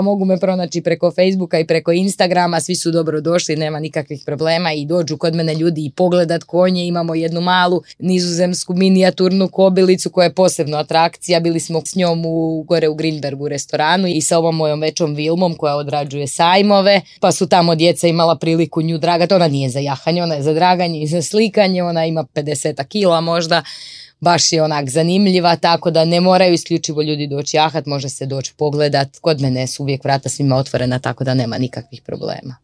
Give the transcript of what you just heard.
Mogu me pronaći preko Facebooka i preko Instagrama, svi su dobro došli, nema nikakvih problema i dođu kod mene ljudi i pogledat konje. Imamo jednu malu nizozemsku minijaturnu kobilicu koja je posebno atrakcija. Bili smo s njom gore u Grinbergu restoranu i sa ovom mojom većom Vilmom koja odrađuje sajmove, pa su tamo djeca imala priliku nju dragati. Ona nije za jahanje, ona je za draganje i za slikanje, ona ima 50 kila možda. Baš je onak zanimljiva, tako da ne moraju isključivo ljudi doći jahat, može se doći pogledat. Kod mene su uvijek vrata svima otvorena, tako da nema nikakvih problema.